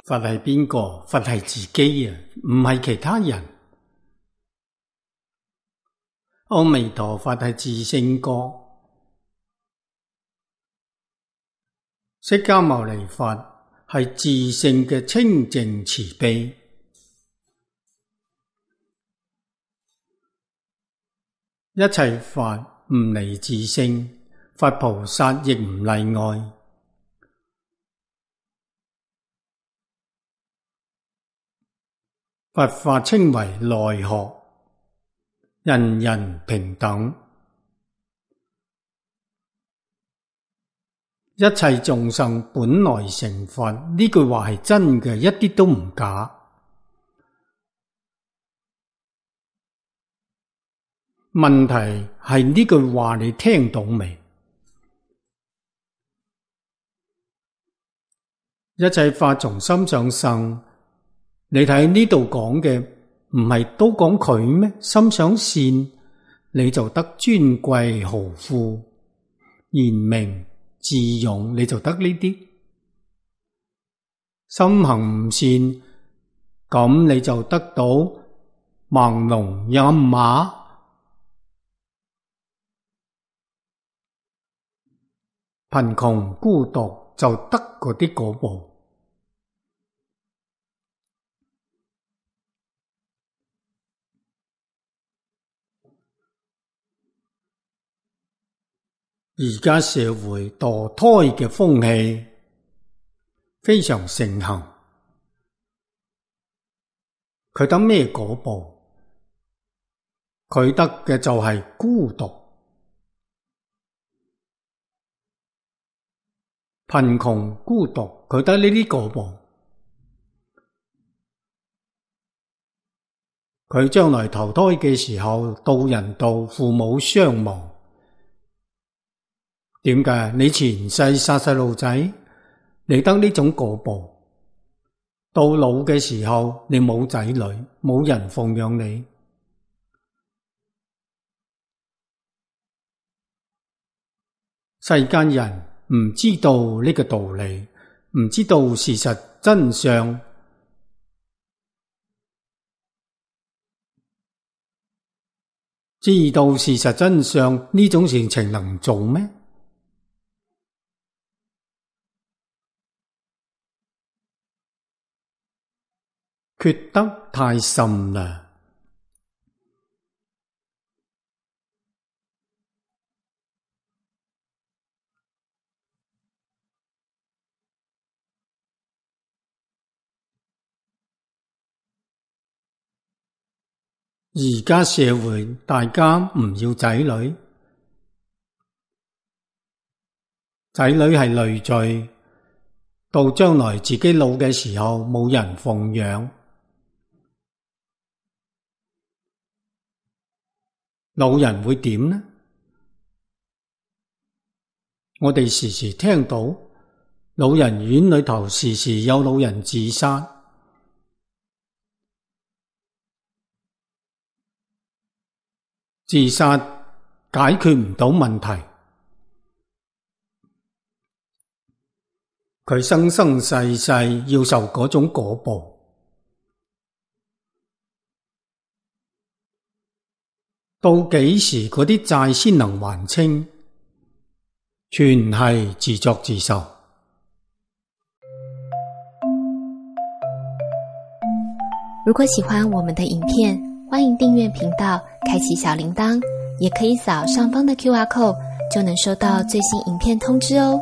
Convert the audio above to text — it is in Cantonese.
佛係邊個？佛係自己啊，唔係其他人。阿彌陀佛係自性覺，釋迦牟尼佛係自性嘅清淨慈悲。一切法唔離自性，佛菩薩亦唔例外。佛法稱為內學，人人平等，一切眾生本來成佛，呢句話係真嘅，一啲都唔假。問題係呢句話你聽到未？一切法從心想生，你睇呢度講嘅唔係都講佢咩？心想善，你就得尊貴豪富、賢明、智勇，你就得呢啲。心行唔善，咁你就得到盲聾啞啞。貧窮孤獨就得嗰啲果報。而家社會墮胎嘅風氣非常盛行，佢得咩果報？佢得嘅就係孤獨、貧窮、孤獨，佢得呢啲果報。佢將來投胎嘅時候，到人道，父母雙亡。點解？你前世殺細路仔，你得呢種果報。到老嘅時候，你冇仔女，冇人奉養你。世間人唔知道呢個道理，唔知道事實真相，知道事實真相，呢種事情能做咩？缺德太甚啦！而家社會大家唔要仔女，仔女係累贅，到將來自己老嘅時候冇人奉養。老人會點呢？我哋時時聽到老人院裏頭時時有老人自殺，自殺解決唔到問題，佢生生世世要受嗰種果報。到幾時嗰啲債先能還清？全係自作自受。如果喜歡我們的影片，歡迎訂閱頻道，開啟小鈴鐺，也可以掃上方的QR code，就能收到最新影片通知哦。